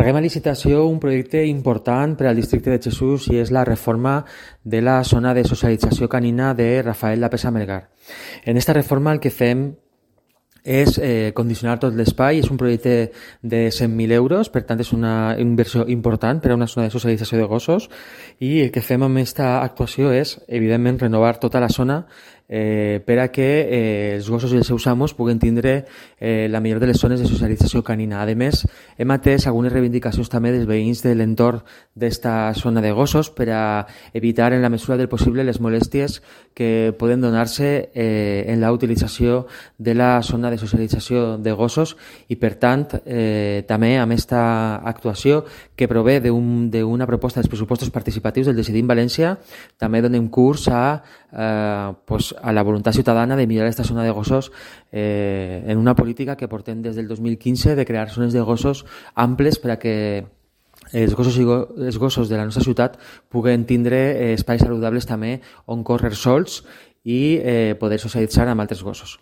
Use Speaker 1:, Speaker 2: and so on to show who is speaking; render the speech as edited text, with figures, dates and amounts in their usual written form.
Speaker 1: Encarreguem a licitació un projecte important per al districte de Jesús i és la reforma de la zona de socialització canina de Rafael Lapesa Melgar. En esta reforma el que fem és condicionar tot l'espai, és un projecte de 100.000 euros, per tant és una inversió important per a una zona de socialització de gossos i el que fem amb aquesta actuació és, evidentment, renovar tota la zona per a que els gossos i els seus amos puguen tindre la millor de les zones de socialització canina. A més, hem atès algunes reivindicacions també dels veïns de l'entorn d'esta zona de gossos per a evitar en la mesura del possible les molèsties que poden donar-se en la utilització de la zona de socialització de gossos i, per tant, també amb aquesta actuació que prové d'una proposta dels pressupostos participatius del Decidim València, també donem curs a la voluntat ciutadana de millorar aquesta zona de gossos en una política que portem des del 2015 de crear zones de gossos amples per a que els gossos de la nostra ciutat puguen tindre espais saludables també on córrer sols i poder socialitzar amb altres gossos.